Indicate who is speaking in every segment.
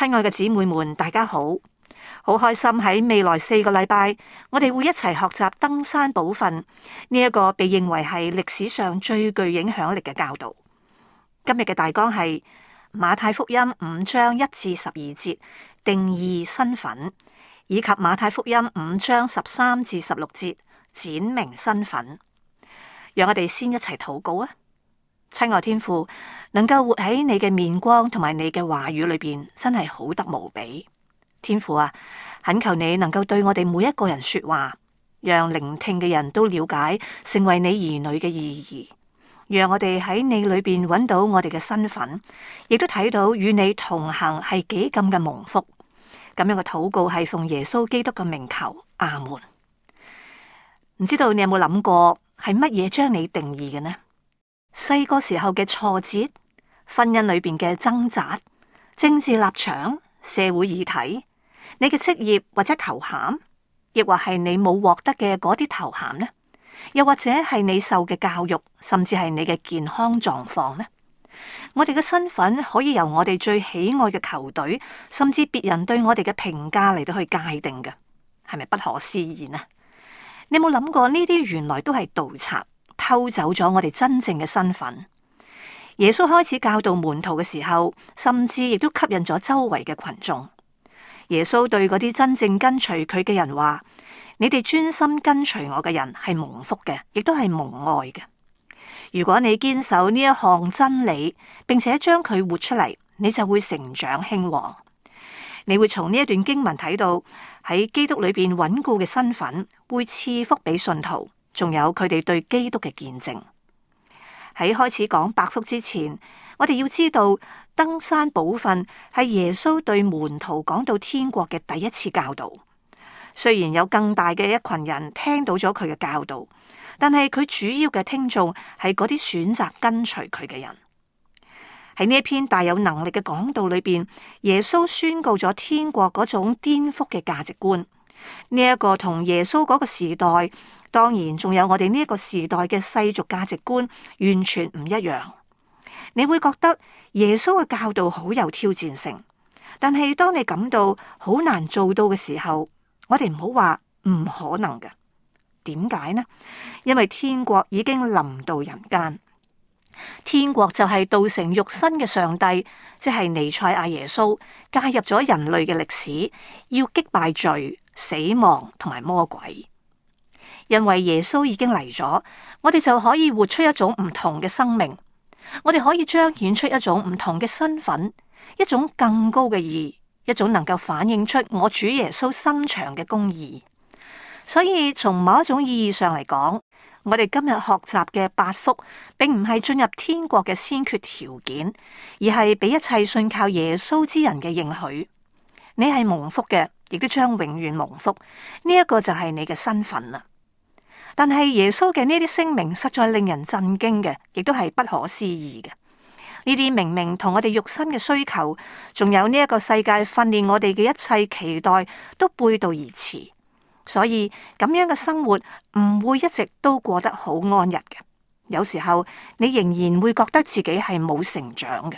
Speaker 1: 親愛嘅姊妹們，大家好，好開心喺未來4個禮拜，我哋會一齊學習登山寶訓呢一個被認為係歷史上最具影響力嘅教導。今日嘅大綱係馬太福音5章1至12節定義身份，以及馬太福音5章13至16節展明身份。讓我哋先一齊禱告啊！親愛天父，能夠活喺你嘅面光同埋你嘅話語裏邊，真係好得無比。天父啊，懇求你能夠對我哋每一個人說話，讓聆聽嘅人都了解成為你兒女嘅意義，讓我哋喺你裏邊揾到我哋嘅身份，亦都睇到與你同行係幾咁嘅蒙福。咁樣嘅禱告係奉耶穌基督嘅名求，阿門。唔知道你有冇諗過係乜嘢將你定義嘅呢？細個時候嘅挫折，婚姻裏邊嘅掙扎，政治立場、社會議題，你嘅職業或者頭銜，亦或係你冇獲得嘅嗰啲頭銜呢？又或者係你受嘅教育，甚至係你嘅健康狀況呢？我哋嘅身份可以由我哋最喜愛嘅球隊，甚至別人對我哋嘅評價嚟到去界定嘅，係咪不可思議呢？你有冇諗過呢啲原來都係盜賊，偷走咗我哋真正嘅身份？耶穌開始教導門徒嘅時候，甚至亦都吸引咗周圍嘅群眾。耶穌對嗰啲真正跟隨佢嘅人話：你哋專心跟隨我嘅人係蒙福嘅，亦都係蒙愛嘅。如果你堅守呢一項真理，並且將佢活出嚟，你就會成長興旺。你會從呢一段經文睇到喺基督裏邊穩固嘅身份，會賜福俾信徒，仲有佢哋對基督嘅見證。喺開始講百福之前，我哋要知道登山寶訓係耶穌對門徒講到天國嘅第一次教導。雖然有更大嘅一群人聽到咗佢嘅教導，但係佢主要嘅聽眾係嗰啲選擇跟隨佢嘅人。喺呢一篇大有能力嘅講道裏邊，耶穌宣告咗天國嗰種顛覆嘅價值觀。呢一個同耶穌嗰個時代，當然仲有我哋呢一個時代嘅世俗價值觀完全唔一樣。你會覺得耶穌嘅教導好有挑戰性，但係當你感到好難做到嘅時候，我哋唔好話唔可能嘅。點解呢？因為天國已經臨到人間。天國就係道成肉身嘅上帝，即係彌賽亞耶穌介入咗人類嘅歷史，要擊敗罪、死亡同埋魔鬼。因為耶穌已經嚟咗，我哋就可以活出一種唔同嘅生命，我哋可以彰顯出一種唔同嘅身份，一種更高嘅義，一種能夠反映出我主耶穌心腸嘅公義。所以從某一種意義上嚟講，我哋今日學習嘅八福，並唔係進入天國嘅先決條件，而係俾一切信靠耶穌之人嘅應許。你係蒙福嘅，亦都將永遠蒙福。呢一個就係你嘅身份啦。但係耶穌嘅呢啲聲明實在令人震驚嘅，亦都係不可思議嘅。呢啲明明同我哋肉身嘅需求，仲有呢一個世界訓練我哋嘅一切期待，都背道而馳。所以咁樣嘅生活唔會一直都過得好安逸嘅。有時候你仍然會覺得自己係冇成長嘅。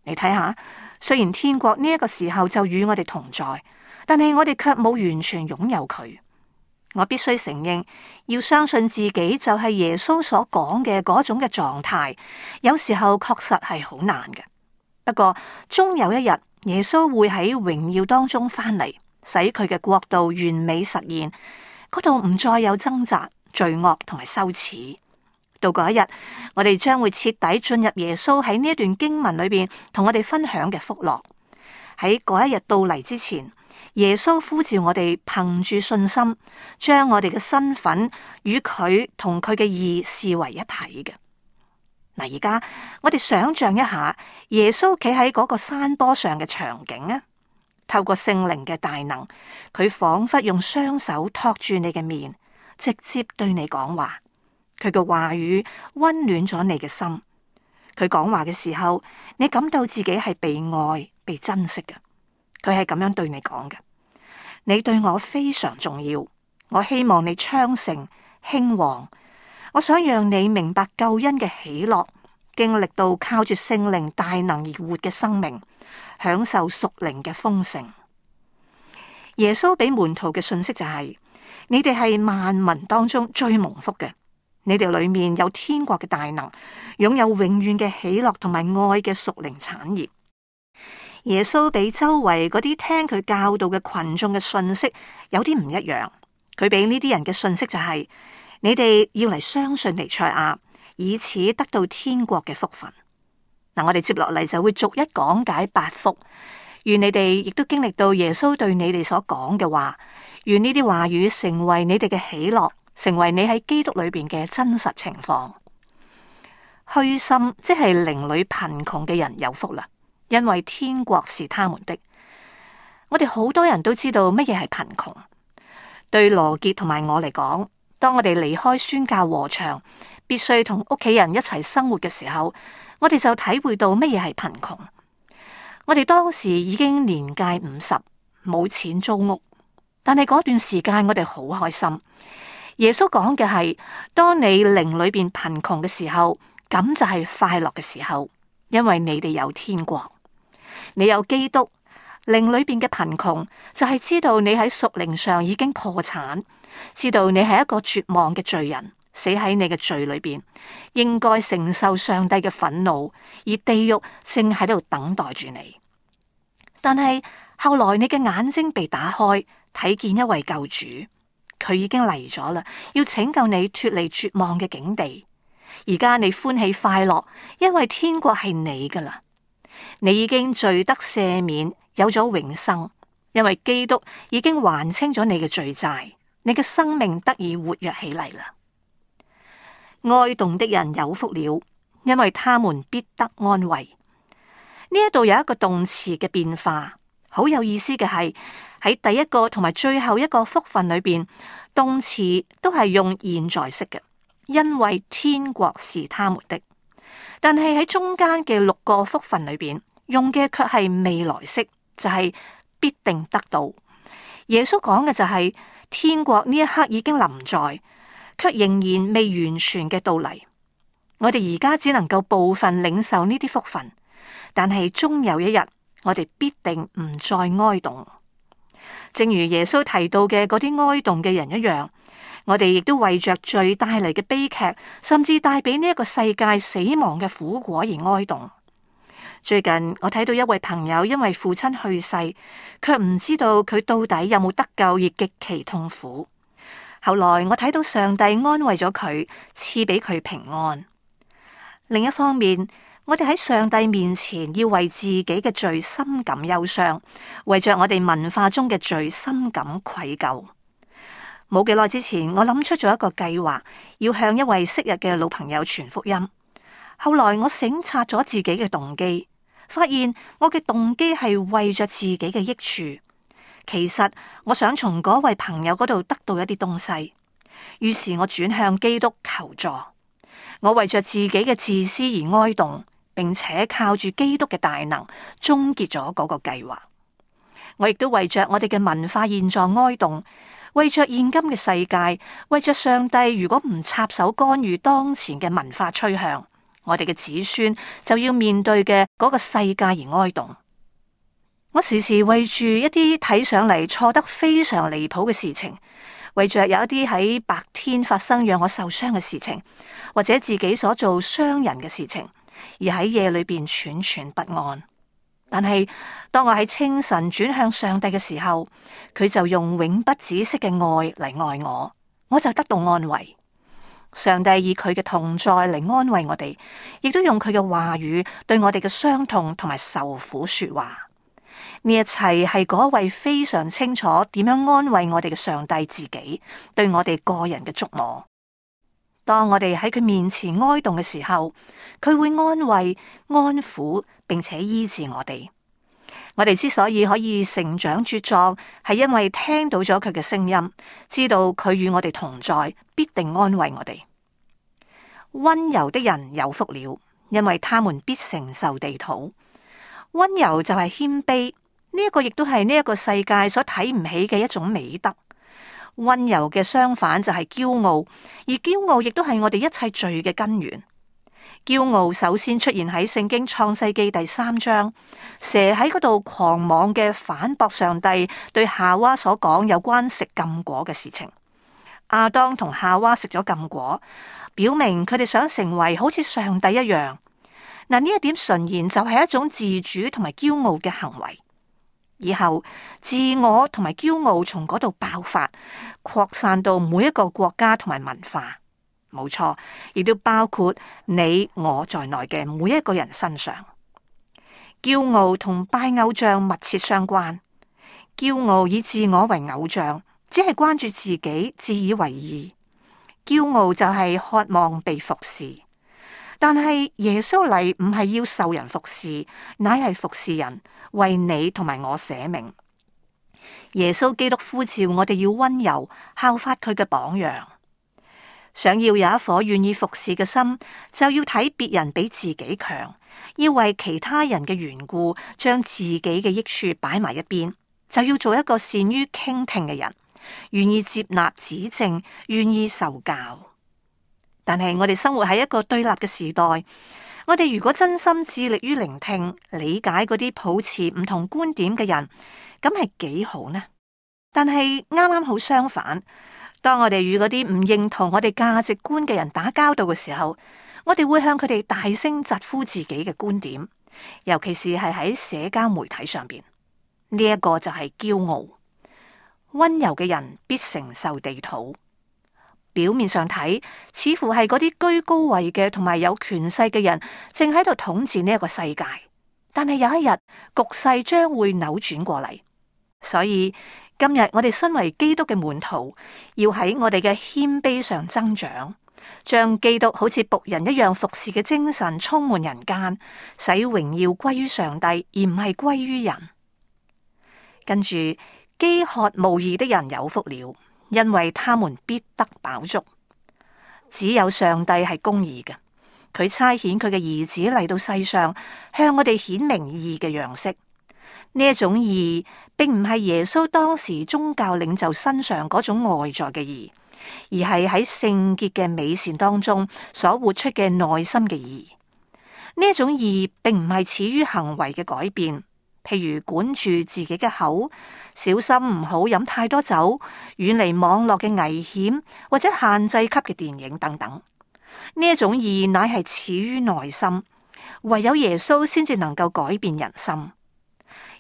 Speaker 1: 你睇下，雖然天國呢一個時候就與我哋同在，但係我哋卻冇完全擁有佢。我必須承認，要相信自己就係耶穌所講嘅嗰種嘅狀態，有時候確實係好難嘅。不過終有一日，耶穌會喺榮耀當中翻嚟，使佢嘅國度完美實現，嗰度唔再有掙扎、罪惡同埋羞恥。到嗰一日，我哋將會徹底進入耶穌喺呢一段經文裏邊同我哋分享嘅福樂。喺嗰一日到嚟之前，耶穌呼召我哋憑住信心，將我哋嘅身份與佢同佢嘅義視為一體嘅。嗱，而家我哋想象一下耶穌企喺嗰個山坡上嘅場景啊，透過聖靈嘅大能，佢仿佛用雙手托住你嘅面，直接對你講話。佢嘅話語溫暖咗你嘅心。佢講話嘅時候，你感到自己係被愛、被珍惜嘅。佢係咁樣對你講嘅：你對我非常重要，我希望你昌盛興旺。我想讓你明白救恩嘅喜樂，經歷到靠住聖靈大能而活嘅生命，享受屬靈嘅豐盛。耶穌俾門徒嘅信息就係：你哋係萬民當中最蒙福嘅，你哋裏面有天國嘅大能，擁有永遠嘅喜樂同埋愛嘅屬靈產業。耶穌俾周圍嗰啲聽佢教導嘅群眾嘅信息有啲唔一樣，佢俾呢啲人嘅信息就係：你哋要嚟相信彌賽亞，以此得到天國嘅福分。嗱，我哋接落嚟就會逐一講解八福。願你哋亦都經歷到耶穌對你哋所講嘅話，願呢啲話語成為你哋嘅喜樂，成為你喺基督裏邊嘅真實情況。虛心即係靈裏貧窮嘅人有福啦，因為天國是他們的。我哋好多人都知道乜嘢係貧窮。對羅傑同埋我嚟講，當我哋離開宣教禾場，必須同屋企人一齊生活嘅時候，我哋就體會到乜嘢係貧窮。我哋當時已經年屆50，冇錢租屋，但係嗰段時間我哋好開心。耶穌講嘅係：當你靈裏邊貧窮嘅時候，咁就係快樂嘅時候，因為你哋有天國，你有基督。靈裏邊嘅貧窮就係知道你喺屬靈上已經破產，知道你係一個絕望嘅罪人，死喺你嘅罪裏邊，應該承受上帝嘅憤怒，而地獄正喺度等待住你。但係後來你嘅眼睛被打開，睇見一位救主，佢已經嚟咗啦，要拯救你脫離絕望嘅境地。而家你歡喜快樂，因為天國係你噶啦，你已經罪得赦免，有咗永生，因為基督已經還清咗你嘅罪債，你嘅生命得以活躍起嚟啦。哀慟的人有福了，因為他們必得安慰。呢一度有一個動詞嘅變化，好有意思嘅係喺第一個同埋最後一個福分裏邊，動詞都係用現在式嘅，因為天國是他們的。但係喺中間嘅6個福分裏邊，用嘅卻係未來式，就係必定得到。耶穌講嘅就係天國呢一刻已經臨在，卻仍然未完全嘅到嚟。我哋而家只能夠部分領受呢啲福分，但係終有一日，我哋必定唔再哀慟。正如耶穌提到嘅嗰啲哀慟嘅人一樣，我哋亦都為着罪帶嚟嘅悲劇，甚至帶俾呢一個世界死亡嘅苦果而哀慟。最近我睇到一位朋友因為父親去世，卻唔知道佢到底有冇得救而極其痛苦。後來我睇到上帝安慰咗佢，賜俾佢平安。另一方面，我哋喺上帝面前要為自己嘅罪深感憂傷，為着我哋文化中嘅罪深感愧疚。冇幾耐之前，我諗出咗一個計劃，要向一位昔日嘅老朋友傳福音。後來我省察咗自己嘅動機，發現我嘅動機係為着自己嘅益處。其實我想從嗰位朋友嗰度得到一啲東西，於是我轉向基督求助。我為着自己嘅自私而哀慟，並且靠住基督嘅大能終結咗嗰個計劃。我亦都為着我哋嘅文化現狀哀慟，為着現今嘅世界，為着上帝如果唔插手干預當前嘅文化趨向，我哋嘅子孫就要面對嘅嗰個世界而哀慟。我時時為住一啲睇上嚟錯得非常離譜嘅事情，為着有一啲喺白天發生讓我受傷嘅事情，或者自己所做傷人嘅事情，而喺夜裏邊惴惴不安。但係當我喺清晨轉向上帝嘅時候，佢就用永不止息嘅愛嚟愛我，我就得到安慰。上帝以佢嘅同在嚟安慰我哋，亦都用佢嘅話語對我哋嘅傷痛同埋受苦說話。呢一切係嗰位非常清楚點樣安慰我哋嘅上帝自己，對我哋個人嘅觸摸。當我哋喺佢面前哀慟嘅時候，佢會安慰、安撫，並且醫治我哋。我哋之所以可以成長茁壯，係因為聽到咗佢嘅聲音，知道佢與我哋同在，必定安慰我哋。溫柔的人有福了，因為他們必承受地土。溫柔就係謙卑，呢一個亦都係呢一個世界所睇唔起嘅一種美德。溫柔嘅相反就係驕傲，而驕傲亦都係我哋一切罪嘅根源。驕傲首先出現喺聖經創世記第3章，蛇喺嗰度狂妄嘅反駁上帝對夏娃所講有關食禁果嘅事情。亞當同夏娃食咗禁果，表明佢哋想成為好似上帝一樣。嗱，呢一點純然就係一種自主同埋驕傲嘅行為。以後自我同埋驕傲從嗰度爆發，擴散到每一個國家同埋文化。冇錯，亦都包括你我在內嘅每一個人身上。驕傲同拜偶像密切相關。驕傲以自我為偶像，只係關注自己，自以為義。驕傲就係渴望被服侍，但係耶穌嚟唔係要受人服侍，乃係服侍人，為你同埋我捨命。耶穌基督呼召我哋要溫柔，效法佢嘅榜樣。想要有一顆願意服侍嘅心，就要睇別人比自己強，要為其他人嘅緣故，將自己嘅益處擺埋一邊，就要做一個善於傾聽嘅人，願意接納指正，願意受教。但係我哋生活喺一個對立嘅時代，我哋如果真心致力於聆聽、理解嗰啲抱持唔同觀點嘅人，咁係幾好呢？但係啱啱好相反。當我哋與嗰啲唔認同我哋價值觀嘅人打交道嘅時候，我哋會向佢哋大聲疾呼自己嘅觀點，尤其是係喺社交媒體上邊。呢一個就係驕傲。溫柔嘅人必承受地土。表面上睇，似乎係嗰啲居高位嘅同埋有權勢嘅人正喺度統治呢一個世界，但係有一日局勢將會扭轉過嚟。所以今日我哋身為基督嘅門徒，要喺我哋嘅謙卑上增長，將基督好似僕人一樣服侍嘅精神充滿人間，使榮耀歸於上帝，而唔係歸於人。跟住，飢渴慕義的人有福了，因為他們必得飽足。只有上帝係公義嘅，佢差遣佢嘅兒子嚟到世上，向我哋顯明義嘅樣式。呢一種義，並唔係耶穌當時宗教領袖身上嗰種外在嘅義，而係喺聖潔嘅美善當中所活出嘅內心嘅義。呢一種義，並唔係始於行為嘅改變，譬如管住自己嘅口，小心唔好飲太多酒，遠離網絡嘅危險，或者限制級嘅電影等等。呢一種義乃係始於內心，唯有耶穌先至能夠改變人心。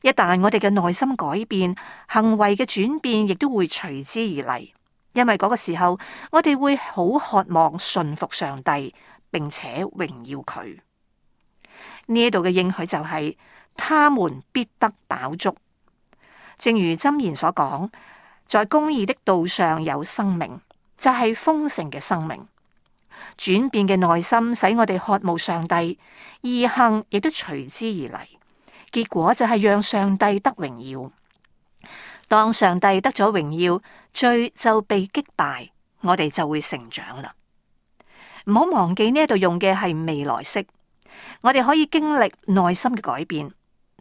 Speaker 1: 一旦我哋嘅內心改變，行為嘅轉變亦都會隨之而嚟，因為嗰個時候我哋會好渴望順服上帝，並且榮耀佢。呢一度嘅應許就係他們必得飽足，正如箴言所講，在公義的道上有生命，就係豐盛嘅生命。轉變嘅內心使我哋渴慕上帝，義行亦都隨之而嚟。結果就係讓上帝得榮耀。當上帝得咗榮耀，罪就被擊敗，我哋就會成長啦。唔好忘記呢度用嘅係未來式，我哋可以經歷內心嘅改變，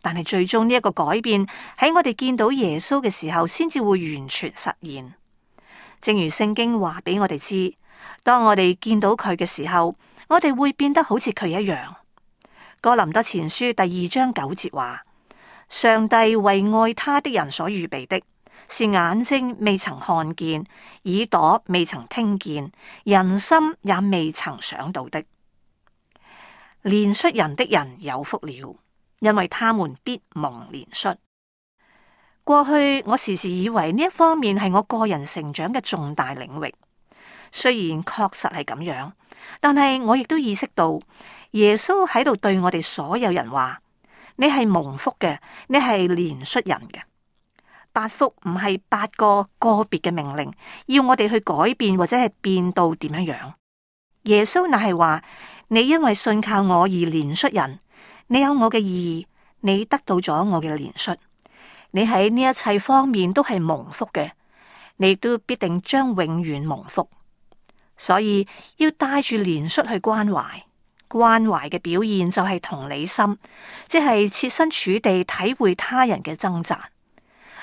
Speaker 1: 但係最終呢一個改變喺我哋見到耶穌嘅時候，先至會完全實現。正如聖經話俾我哋知，當我哋見到佢嘅時候，我哋會變得好似佢一樣。哥林多前書第2章9節話：上帝為愛他的人所預備的，是眼睛未曾看見，耳朵未曾聽見，人心也未曾想到的。憐恤人的人有福了，因為他們必蒙憐恤。過去我時時以為呢一方面係我個人成長嘅重大領域，雖然確實係咁樣，但係我亦都意識到。耶穌喺度對我哋所有人話：你係蒙福嘅，你係憐恤人嘅。8福唔係8個個別嘅命令，要我哋去改變或者係變到點樣樣。耶穌乃係話：你因為信靠我而憐恤人，你有我嘅義，你得到咗我嘅憐恤，你喺呢一切方面都係蒙福嘅，你亦都必定將永遠蒙福。所以要帶住憐恤去關懷。關懷嘅表現就係同理心，即係設身處地體會他人嘅掙扎。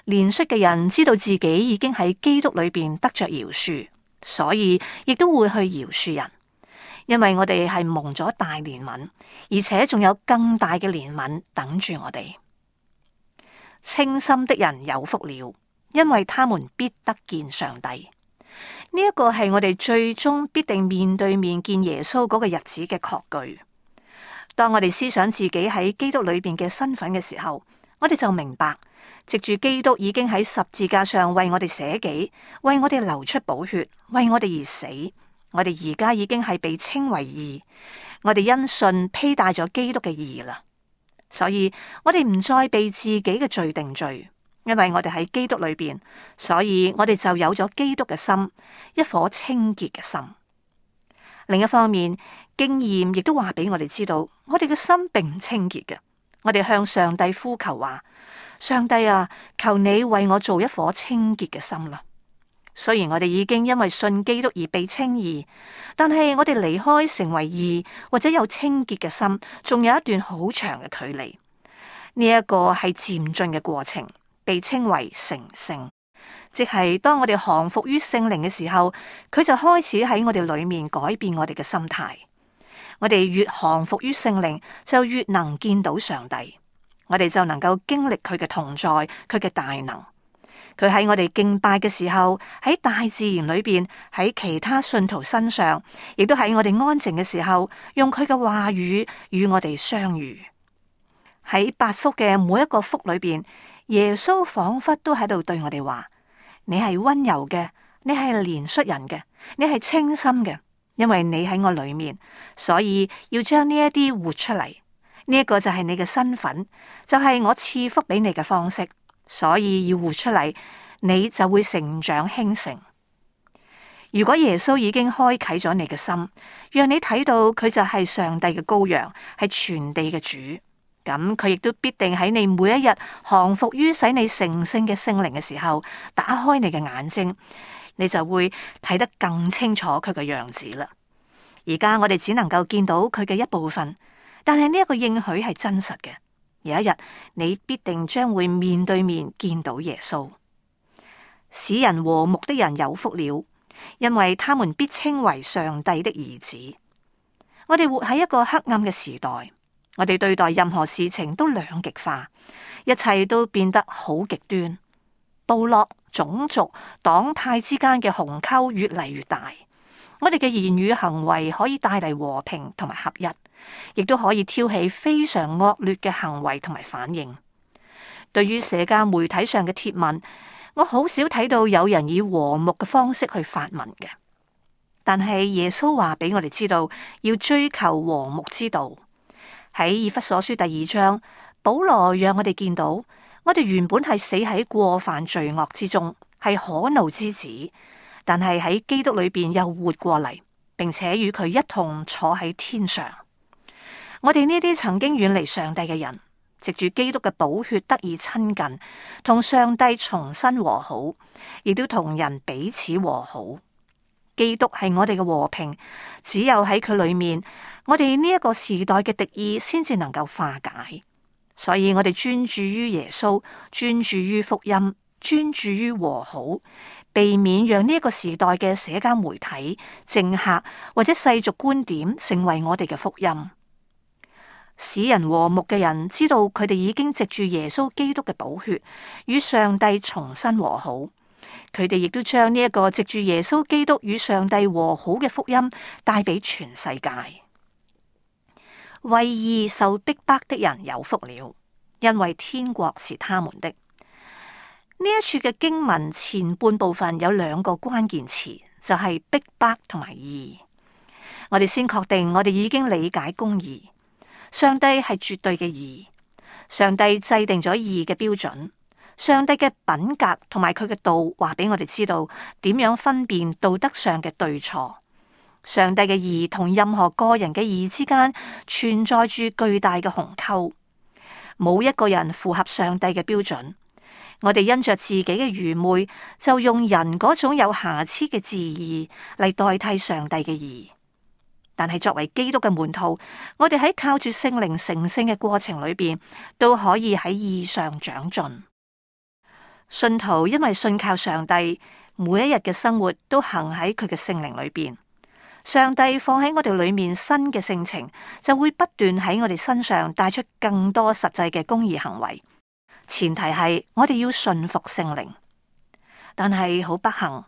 Speaker 1: 憐恤嘅人知道自己已經喺基督裏邊得着饒恕，所以亦都會去饒恕人。因為我哋係蒙咗大憐憫，而且仲有更大嘅憐憫等住我哋。清心的人有福了，因為他們必得見上帝。呢一個係我哋最終必定面對面見耶穌嗰個日子嘅確據。當我哋思想自己喺基督裏邊嘅身份嘅時候，我哋就明白，藉住基督已經喺十字架上為我哋捨己，為我哋流出寶血，為我哋而死。我哋而家已經係被稱為義，我哋因信披戴咗基督嘅義啦。所以我哋唔再被自己嘅罪定罪，因為我哋喺基督裏邊，所以我哋就有咗基督嘅心，一顆清潔嘅心。另一方面，經驗亦都話俾我哋知道，我哋嘅心並唔清潔嘅。我哋向上帝呼求話：上帝啊，求你為我做一顆清潔嘅心啦。雖然我哋已經因為信基督而被稱義，但係我哋離開成為義或者有清潔嘅心，仲有一段好長嘅距離。呢一個係漸進嘅過程，被稱為成聖，即係當我哋降服於聖靈嘅時候，佢就開始喺我哋裏面改變我哋嘅心態。我哋越降服於聖靈，就越能見到上帝，我哋就能夠經歷佢嘅同在，佢嘅大能。佢喺我哋敬拜嘅時候，喺大自然裏邊，喺其他信徒身上，亦都喺我哋安靜嘅時候，用佢嘅話語與我哋相遇。喺八福嘅每一個福裏邊，耶穌仿佛都喺度對我哋話：你係溫柔嘅，你係憐恤人嘅，你係清心嘅，因為你喺我裏面，所以要將呢一啲活出嚟。呢一個就係你嘅身份，就係我賜福俾你嘅方式。所以要活出嚟，你就會成長興盛。如果耶穌已經開啟咗你嘅心，讓你睇到佢就係上帝嘅羔羊，係全地嘅主，咁佢亦都必定喺你每一日降服於使你成聖嘅聖靈嘅時候，打開你嘅眼睛，你就會睇得更清楚佢嘅樣子啦。而家我哋只能夠見到佢嘅一部分，但係呢一個應許係真實嘅。有一日，你必定將會面對面見到耶穌。使人和睦的人有福了，因為他們必稱為上帝的兒子。我哋活喺一個黑暗嘅時代，我哋對待任何事情都兩極化，一切都變得好極端。部落、種族、黨派之間嘅鴻溝越嚟越大。我哋嘅言語行為可以帶嚟和平同埋合一，亦都可以挑起非常惡劣嘅行為同埋反應。對於社交媒體上嘅貼文，我好少睇到有人以和睦嘅方式去發文嘅。但係耶穌話俾我哋知道，要追求和睦之道。喺以弗所書第2章，保羅讓我哋見到，我哋原本係死喺過犯罪惡之中，係可怒之子。但係喺基督裏邊又活過嚟，並且與佢一同坐喺天上。我哋呢啲曾經遠離上帝嘅人，藉住基督嘅寶血得以親近，同上帝重新和好，亦都同人彼此和好。基督係我哋嘅和平，只有喺佢裏面，我哋呢一個時代嘅敵意先至能夠化解。所以我哋專注於耶穌，專注於福音，專注於和好。避免讓呢一個時代嘅社交媒體、政客或者世俗觀點成為我哋嘅福音。使人和睦嘅人知道佢哋已經藉住耶穌基督嘅寶血與上帝重新和好，佢哋亦都將呢一個藉住耶穌基督與上帝和好嘅福音帶俾全世界。為義受逼迫的人有福了，因為天國是他們的。呢一處嘅經文前半部分有兩個關鍵詞，就係逼迫同埋義。我哋先確定我哋已經理解公義。上帝係絕對嘅義，上帝制定咗義嘅標準。上帝嘅品格同埋佢嘅道話俾我哋知道點樣分辨道德上嘅對錯。上帝嘅義同任何個人嘅義之間存在住巨大嘅鴻溝，冇一個人符合上帝嘅標準。我哋因着自己嘅愚昧，就用人嗰種有瑕疵嘅自義嚟代替上帝嘅義。但係作為基督嘅門徒，我哋喺靠住聖靈成聖嘅過程裏邊，都可以喺義上長進。信徒因為信靠上帝，每一日嘅生活都行喺佢嘅聖靈裏邊，上帝放喺我哋裏面新嘅性情，就會不斷喺我哋身上帶出更多實際嘅公義行為。前提係我哋要順服聖靈。但係好不幸，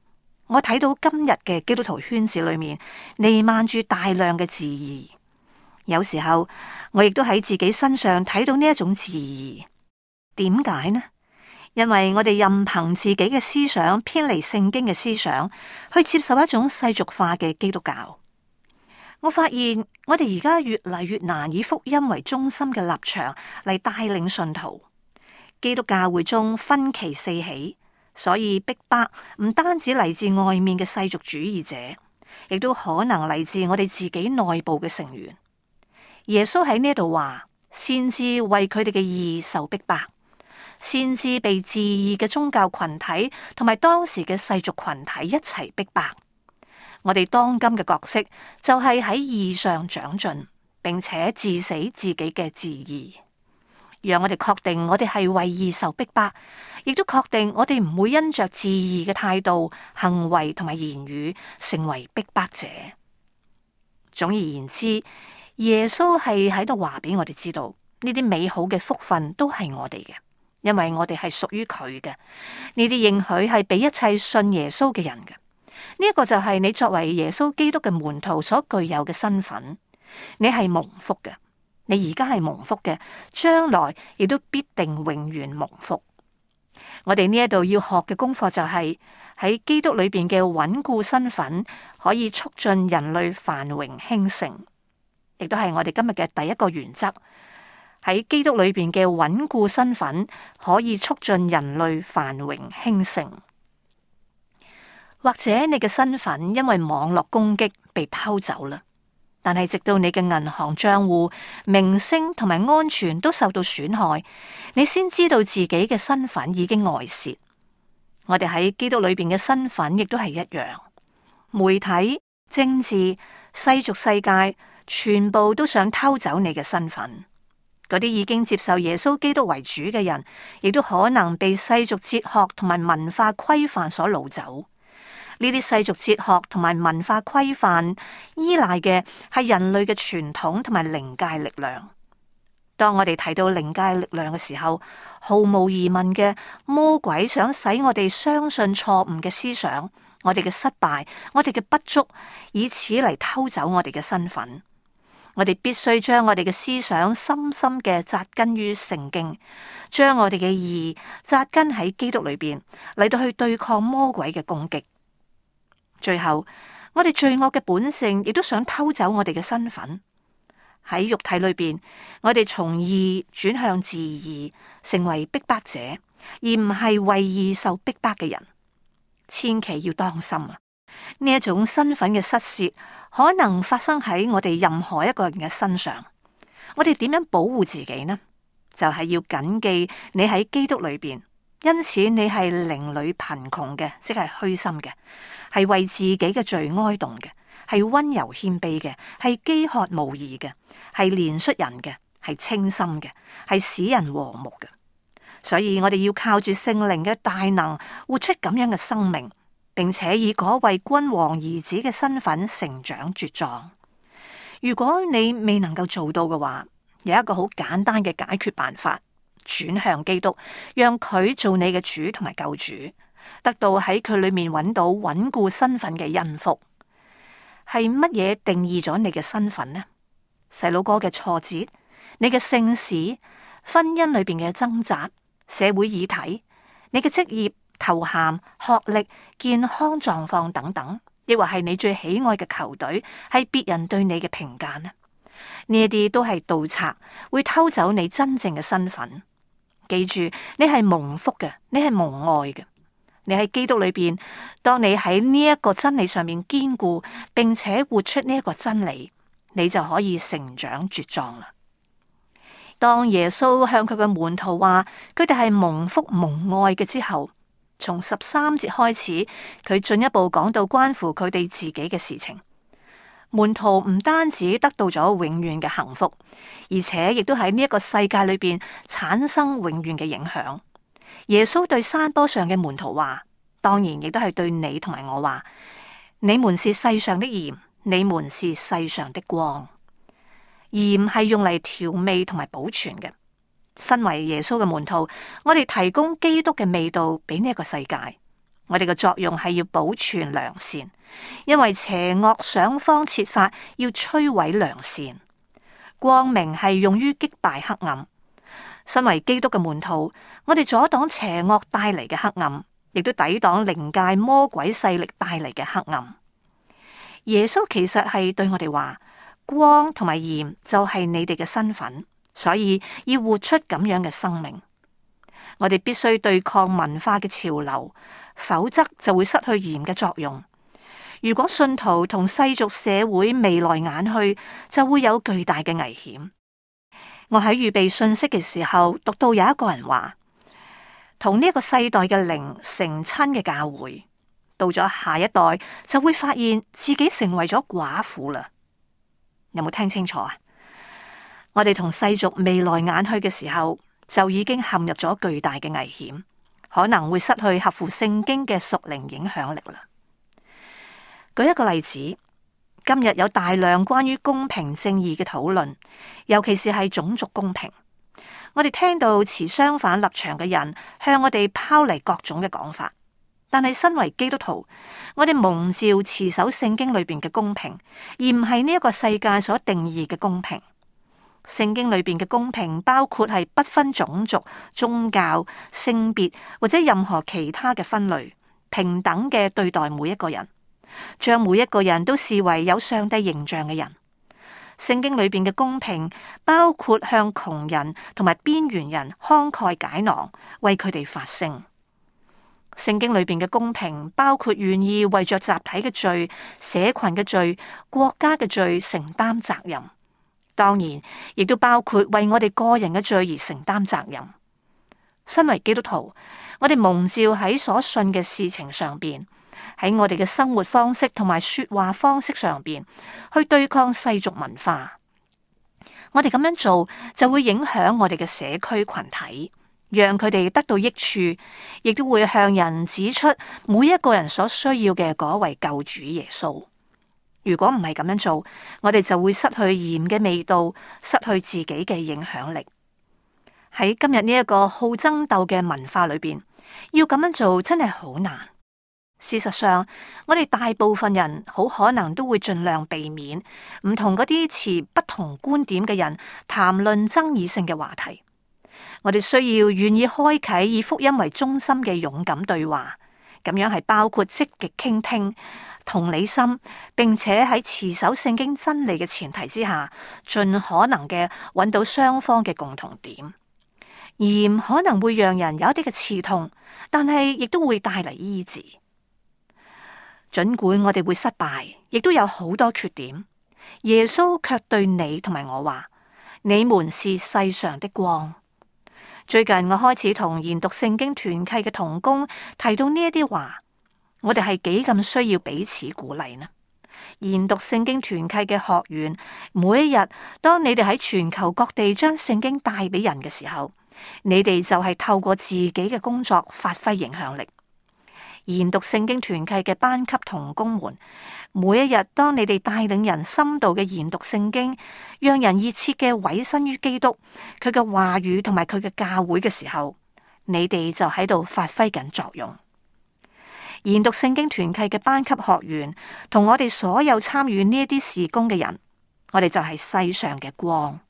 Speaker 1: 我睇到今日嘅基督徒圈子裏面彌漫住大量嘅自義。有時候我亦都喺自己身上睇到呢一種自義。點解呢？因為我哋任憑自己嘅思想偏離聖經嘅思想，去接受一種世俗化嘅基督教。我發現我哋而家越嚟越難以福音為中心嘅立場嚟帶領信徒。基督教會中分歧四起，所以逼迫唔單止嚟自外面嘅世俗主義者，亦都可能嚟自我哋自己內部嘅成員。耶穌喺呢度話，先知為佢哋嘅義受逼迫。先知被自義嘅宗教群體同埋當時嘅世俗群體一齊逼迫。我哋當今嘅角色就係喺義上長進，並且治死自己嘅自義，讓我哋確定我哋係為義受逼迫，亦都確定我哋唔會因着自義嘅態度、行為同埋言語成為逼迫者。總而言之，耶穌係喺度話俾我哋知道，呢啲美好嘅福分都係我哋嘅。因為我哋係屬於佢嘅，呢啲應許係俾一切信耶穌嘅人嘅。呢一個就係你作為耶穌基督嘅門徒所具有嘅身份。你係蒙福嘅，你而家係蒙福嘅，將來亦都必定永遠蒙福。我哋呢一度要學嘅功課就係喺基督裏邊嘅穩固身份，可以促進人類繁榮興盛，亦都係我哋今日嘅第一個原則。喺基督裏邊嘅穩固身份，可以促進人類繁榮興盛。或者你嘅身份因為網絡攻擊被偷走啦，但係直到你嘅銀行賬戶、名聲同埋安全都受到損害，你先知道自己嘅身份已經外泄。我哋喺基督裏邊嘅身份亦都係一樣。媒體、政治、世俗世界，全部都想偷走你嘅身份。嗰啲已經接受耶穌基督為主嘅人，亦都可能被世俗哲學同埋文化規範所擄走。呢啲世俗哲學同埋文化規範依賴嘅係人類嘅傳統同埋靈界力量。當我哋提到靈界力量嘅時候，毫無疑問嘅，魔鬼想使我哋相信錯誤嘅思想，我哋嘅失敗，我哋嘅不足，以此嚟偷走我哋嘅身份。我哋必須將我哋嘅思想深深嘅扎根於聖經，將我哋嘅義扎根喺基督裏邊，嚟到去對抗魔鬼嘅攻擊。最後，我哋罪惡嘅本性亦都想偷走我哋嘅身份。喺肉體裏邊，我哋從義轉向自義，成為逼迫者，而唔係為義受逼迫嘅人。千祈要當心啊！呢一種身份嘅失竊，可能發生喺我哋任何一個人嘅身上。我哋點樣保護自己呢？就係要謹記你喺基督裏邊，因此你係靈裏貧窮嘅，即係虛心嘅，係為自己嘅罪哀慟嘅，係溫柔謙卑嘅，係飢渴慕義嘅，係憐恤人嘅，係清心嘅，係使人和睦嘅。所以我哋要靠住聖靈嘅大能，活出咁樣嘅生命，並且以嗰位君王兒子嘅身份成長茁壯。如果你未能夠做到嘅話，有一個好簡單嘅解決辦法，轉向基督，讓佢做你嘅主同埋救主，得到喺佢裏面揾到穩固身份嘅恩福。係乜嘢定義咗你嘅身份呢？細佬哥嘅挫折，你嘅姓氏，婚姻裏邊嘅掙扎，社會議題，你嘅職業、頭銜、學歷、健康狀況等等，亦或係你最喜愛嘅球隊，係別人對你嘅評價呢？呢一啲都係盜賊，會偷走你真正嘅身份。記住，你係蒙福嘅，你係蒙愛嘅，你喺基督裏邊。當你喺呢一個真理上面堅固，並且活出呢一個真理，你就可以成長茁壯啦。當耶穌向佢嘅門徒話佢哋係蒙福蒙愛嘅之後，從13節開始，佢進一步講到關乎佢哋自己嘅事情。門徒唔單止得到咗永遠嘅幸福，而且亦都喺呢一個世界裏邊產生永遠嘅影響。耶穌對山坡上嘅門徒話，當然亦都係對你同埋我話：你們是世上的鹽，你們是世上的光。鹽係用嚟調味同埋保存嘅。身為耶穌嘅門徒，我哋提供基督嘅味道俾呢一個世界。我哋嘅作用係要保存良善，因為邪惡想方設法要摧毀良善。光明係用於擊敗黑暗。身為基督嘅門徒，我哋阻擋邪惡帶嚟嘅黑暗，亦都抵擋靈界魔鬼勢力帶嚟嘅黑暗。耶穌其實係對我哋話，光同埋鹽就係你哋嘅身份，所以要活出咁樣嘅生命。我哋必須對抗文化嘅潮流，否則就會失去鹽嘅作用。如果信徒同世俗社會眉來眼去，就會有巨大嘅危險。我喺預備信息嘅時候，讀到有一個人話，同呢個世代嘅靈成親嘅教會，到咗下一代就會發現自己成為咗寡婦啦。有冇聽清楚啊？我哋同世俗眉來眼去嘅時候，就已經陷入咗巨大嘅危險，可能會失去合乎聖經嘅屬靈影響力啦。舉一個例子。今日有大量關於公平正義嘅討論，尤其是係種族公平。我哋聽到持相反立場嘅人向我哋拋嚟各種嘅講法，但係身為基督徒，我哋蒙召持守聖經裏邊嘅公平，而唔係呢一個世界所定義嘅公平。聖經裏邊嘅公平包括係不分種族、宗教、性別或者任何其他嘅分類，平等嘅對待每一個人。將每一個人都視為有上帝形象嘅人。聖經裏邊嘅公平包括向窮人同埋邊緣人慷慨解囊，為佢哋發聲。聖經裏邊嘅公平包括願意為着集體嘅罪、社群嘅罪、國家嘅罪承擔責任。當然，亦都包括為我哋個人嘅罪而承擔責任。身為基督徒，我哋蒙召喺所信嘅事情上邊，喺我哋嘅生活方式同埋說話方式上邊，去對抗世俗文化。我哋咁樣做就會影響我哋嘅社區群體，讓佢哋得到益處，亦都會向人指出每一個人所需要嘅嗰位救主耶穌。如果唔係咁樣做，我哋就會失去鹽嘅味道，失去自己嘅影響力。喺今日呢一個好爭鬥嘅文化裏邊，要咁樣做真係好難。事實上，我哋大部分人好可能都會盡量避免唔同嗰啲持不同觀點嘅人談論爭議性嘅話題。我哋需要願意開啟以福音為中心嘅勇敢對話，咁樣係包括積極傾聽、同理心，並且喺持守聖經真理嘅前提之下，盡可能嘅揾到雙方嘅共同點。鹽可能會讓人有一啲嘅刺痛，但係亦都會帶嚟醫治。儘管我哋會失敗，亦都有好多缺點，耶穌卻對你同埋我話：你們是世上的光。最近我開始同研讀聖經團契嘅同工提到呢一啲話，我哋係幾咁需要彼此鼓勵呢？研讀聖經團契嘅學員，每一日當你哋喺全球各地將聖經帶俾人嘅時候，你哋就係透過自己嘅工作發揮影響力。研讀聖經團契嘅班級同工們，每一日當你哋帶領人深度嘅研讀聖經，讓人熱切嘅委身於基督，佢嘅話語同埋佢嘅教會嘅時候，你哋就喺度發揮緊作用。研讀聖經團契嘅班級學員，同我哋所有參與呢一啲事工嘅人，我哋就係世上嘅光。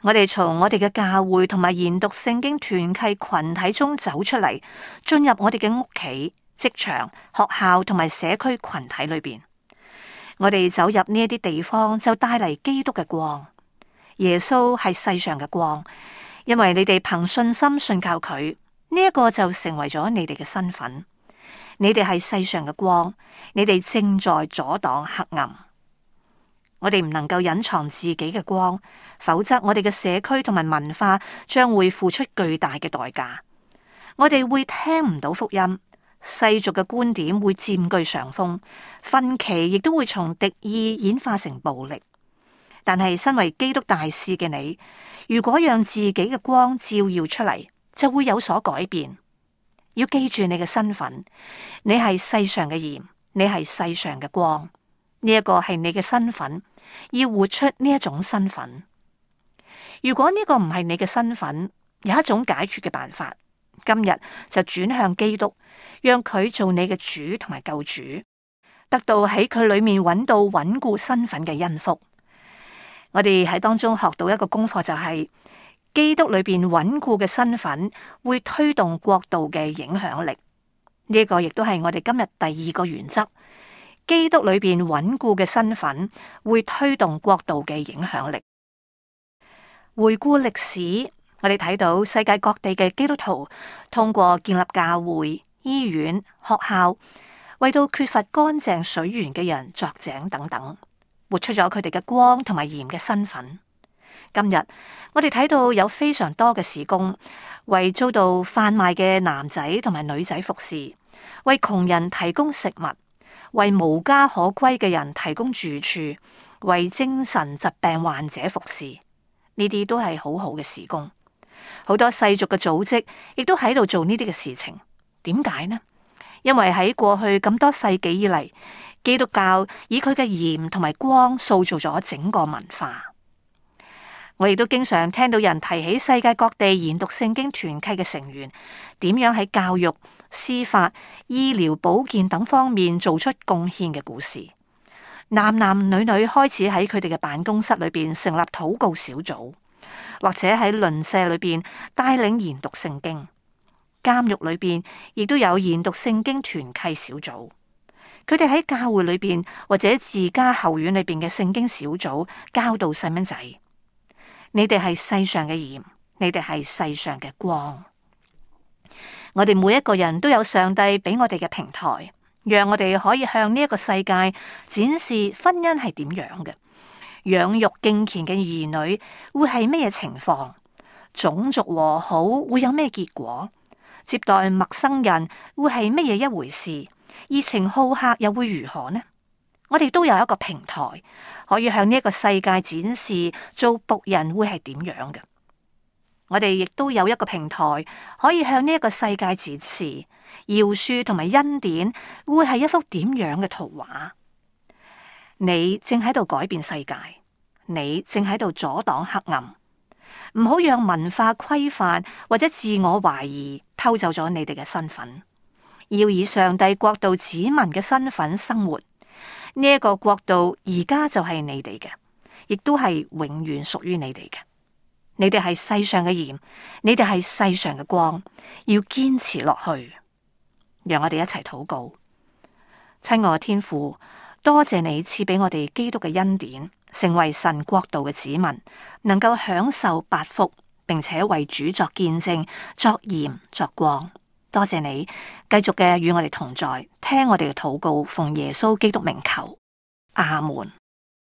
Speaker 1: 我哋從我哋嘅教會同埋研讀聖經團契群體中走出嚟，進入我哋嘅屋企、職場、學校同埋社區群體裏邊。我哋走入呢一啲地方，就帶嚟基督嘅光。耶穌係世上嘅光，因為你哋憑信心信靠佢，呢一個就成為咗你哋嘅身份。你哋係世上嘅光，你哋正在阻擋黑暗。我哋唔能夠隱藏自己嘅光，否則我哋嘅社區同埋文化將會付出巨大嘅代價。我哋會聽唔到福音，世俗嘅觀點會佔據上風，分歧亦都會從敵意演化成暴力。但係身為基督大使嘅你，如果讓自己嘅光照耀出嚟，就會有所改變。要記住你嘅身份，你係世上嘅鹽，你係世上嘅光。呢一個係你嘅身份，要活出呢一種身份。如果呢個唔係你嘅身份，有一種解決嘅辦法，今日就轉向基督，讓佢做你嘅主同埋救主，得到喺佢裏面揾到穩固身份嘅恩福。我哋喺當中學到一個功課，就係基督裏邊穩固嘅身份會推動國度嘅影響力。呢個亦都係我哋今日第二個原則。基督裏邊穩固嘅身份會推動國度嘅影響力。回顧歷史，我哋睇到世界各地嘅基督徒通過建立教會、醫院、學校，為到缺乏乾淨水源嘅人鑿井等等，活出咗佢哋嘅光同埋鹽嘅身份。今日我哋睇到有非常多嘅事工，為遭到販賣嘅男仔同埋女仔服侍，為窮人提供食物，為無家可歸嘅人提供住處，為精神疾病患者服侍。呢啲都係好好嘅事工。好多世俗嘅組織亦都喺度做呢啲嘅事情。點解呢？因為喺過去咁多世紀以嚟，基督教以佢嘅鹽同埋光塑造咗整個文化。我亦都經常聽到人提起世界各地研讀聖經團契嘅成員點樣喺教育、司法、醫療、保健等方面做出貢獻嘅故事。男男女女開始喺佢哋嘅辦公室裏邊成立禱告小組，或者喺鄰舍裏邊帶領研讀聖經。監獄裏邊亦都有研讀聖經團契小組。佢哋喺教會裏邊或者自家後院裏邊嘅聖經小組教導細蚊仔。你哋係世上嘅鹽，你哋係世上嘅光。我哋每一個人都有上帝俾我哋嘅平台，讓我哋可以向呢一個世界展示婚姻係點樣嘅，養育敬虔嘅兒女會係咩嘢情況，種族和好會有咩結果，接待陌生人會係乜嘢一回事，熱情好客又會如何呢？我哋都有一個平台，可以向呢一個世界展示做僕人會係點樣嘅。我哋亦都有一個平台，可以向呢一個世界展示饒恕同埋恩典會係一幅點樣嘅圖畫。你正喺度改變世界，你正喺度阻擋黑暗，唔好讓文化規範或者自我懷疑偷走咗你哋嘅身份。要以上帝國度子民嘅身份生活。呢一個國度而家就係你哋嘅，亦都係永遠屬於你哋嘅。你哋係世上嘅鹽，你哋係世上嘅光，要堅持落去。讓我哋一齊禱告。親愛嘅天父，多謝你賜俾我哋基督嘅恩典，成為神國度嘅子民，能夠享受八福，並且為主作見證，作鹽作光。多謝你繼續嘅與我哋同在，聽我哋嘅禱告，奉耶穌基督名求，阿門。